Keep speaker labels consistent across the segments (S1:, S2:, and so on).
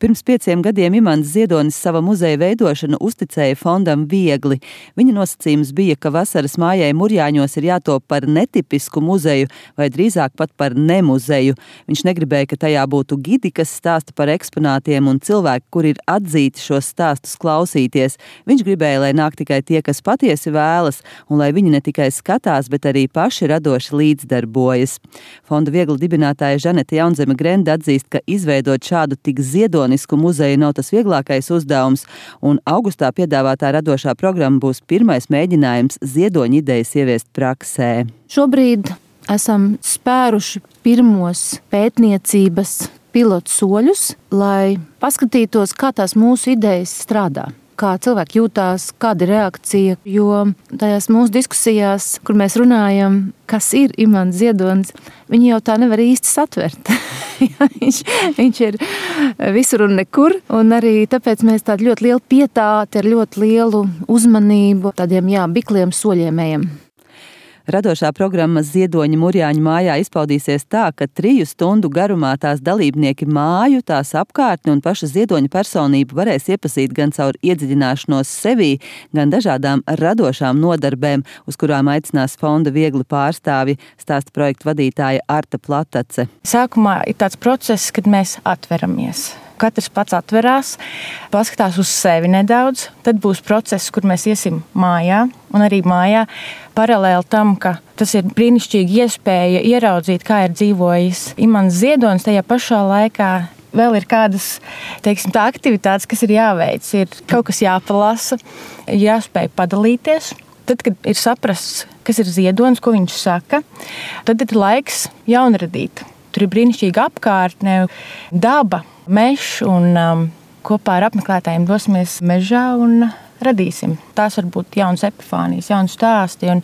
S1: Pirms 5 gadiem Imants Ziedonis sava muzeja veidošanu uzticēja fondam Viegli. Viņa nosacījums bija, ka vasaras mājai Murjāņos ir jātop par netipisku muzeju vai drīzāk pat par nemuzeju. Viņš negribēja, ka tajā būtu gidi, kas stāsta par eksponātiem un cilvēki, kuri ir atzīti šos stāstus klausīties. Viņš gribēja, lai nāk tikai tie, kas patiesi vēlas, un lai viņi ne tikai skatās, bet arī paši radoši līdzdarbojas. Fonda Viegli dibinātāja Žanete Jaunzeme Grende atzīst, ka izveidot šādu tik ziedonisku muzeju nav tas vieglākais uzdevums, un augustā piedāvātā radošā programma būs pirmais mēģinājums ziedoņa idejas ieviest praksē.
S2: Šobrīd esam spēruši pirmos pētniecības pilotu soļus, lai paskatītos, kā tās mūsu idejas strādā. Kā cilvēki jūtās, kāda ir reakcija, jo tajās mūsu diskusijās, kur mēs runājam, kas ir Imants Ziedonis, viņi jau tā nevar īsti satvert. viņš ir visur un nekur, un arī tāpēc mēs tādu ļoti lielu pietāti, ar ļoti lielu uzmanību, tādiem bikliem soļiem ejam.
S1: Radošā programma Ziedoņa Murjāņu mājā izpaudīsies tā, ka 3 stundu garumā tās dalībnieki māju, tās apkārtni un paša Ziedoņa personību varēs iepazīt gan caur iedziļināšanos sevī, gan dažādām radošām nodarbēm, uz kurām aicinās fonda Viegli pārstāvji, stāsta projektu vadītāja Arta Platace.
S3: Sākumā ir tāds process, kad mēs atveramies. Katrs pats atverās, paskatās uz sevi nedaudz, tad būs process, kur mēs iesim mājā, un arī mājā paralēli tam, ka tas ir brīnišķīgi iespēja ieraudzīt, kā ir dzīvojis Imants Ziedonis, tajā pašā laikā vēl ir kādas, tā aktivitātes, kas ir jāveic, ir kaut kas jāpalasa, jāspēj padalīties. Tad, kad ir saprasts, kas ir Ziedonis, ko viņš saka, tad ir laiks jaunradīt. Tur ir brīnišķīga apkārtne, daba, mežs, un kopā ar apmeklētājiem dosimies mežā un radīsim. Tās var būt jaunas epifānijas, jaunas stāsti, un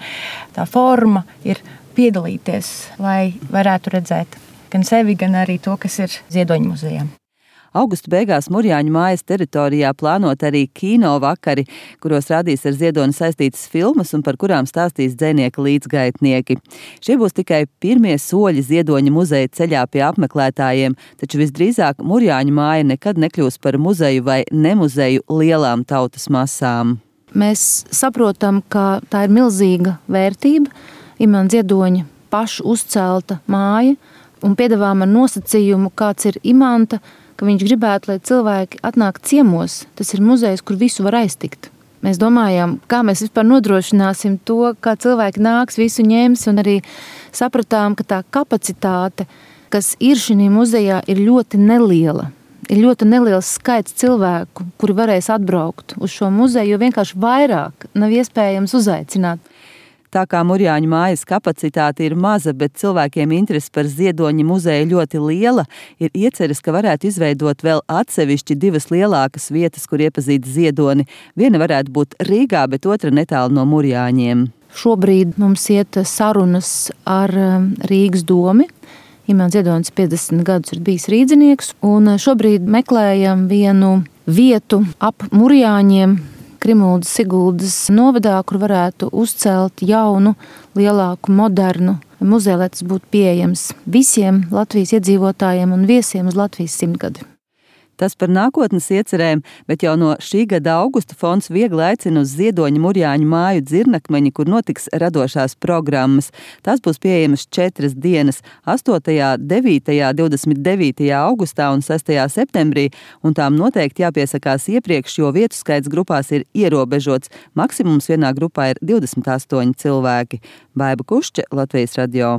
S3: tā forma ir piedalīties, lai varētu redzēt gan sevi, gan arī to, kas ir Ziedoņa muzejā.
S1: Augusta beigās Murjāņu mājas teritorijā plānot arī kino vakari, kuros rādīs ar Ziedoni saistītas filmas un par kurām stāstīs dzejnieka līdzgaitnieki. Šie būs tikai pirmie soļi Ziedoņa muzeja ceļā pie apmeklētājiem, taču visdrīzāk Murjāņu māja nekad nekļūs par muzeju vai nemuzeju lielām tautas masām.
S2: Mēs saprotam, ka tā ir milzīga vērtība, Imants Ziedoņa pašu uzcelta māja, un piedāvājam ar nosacījumu, kāds ir Imanta, ka viņš gribētu, lai cilvēki atnāk ciemos. Tas ir muzejs, kur visu var aiztikt. Mēs domājam, kā mēs vispār nodrošināsim to, kā cilvēki nāks, visu ņems, un arī sapratām, ka tā kapacitāte, kas ir šī muzejā, ir ļoti neliela. Ir ļoti neliels skaits cilvēku, kuri varēs atbraukt uz šo muzeju, jo vienkārši vairāk nav iespējams uzaicināt.
S1: Tā kā Murjāņu mājas kapacitāte ir maza, bet cilvēkiem interese par Ziedoņa muzeju ļoti liela, ir ieceres, ka varētu izveidot vēl atsevišķi 2 lielākas vietas, kur iepazīt Ziedoni. Viena varētu būt Rīgā, bet otra netālu no Murjāņiem.
S2: Šobrīd mums iet sarunas ar Rīgas domi. Imants Ziedonis 50 gadus ir bijis rīdzinieks, un šobrīd meklējam vienu vietu ap Murjāņiem, Krimuldas Siguldas novadā, kur varētu uzcelt jaunu, lielāku, modernu muzeju, lai tas būtu pieejams visiem Latvijas iedzīvotājiem un viesiem uz Latvijas 100-gadi.
S1: Tas par nākotnes iecerēm, bet jau no šī gada augusta fonds Viegli aicina uz Ziedoņa Murjāņu māju Dzirnakmeņi, kur notiks radošās programmas. Tās būs pieejamas 4 dienas – 8., 9., 29. augustā un 6. septembrī, un tām noteikti jāpiesakās iepriekš, jo vietu skaits grupās ir ierobežots. Maksimums vienā grupā ir 28 cilvēki. Baiba Kušče, Latvijas radio.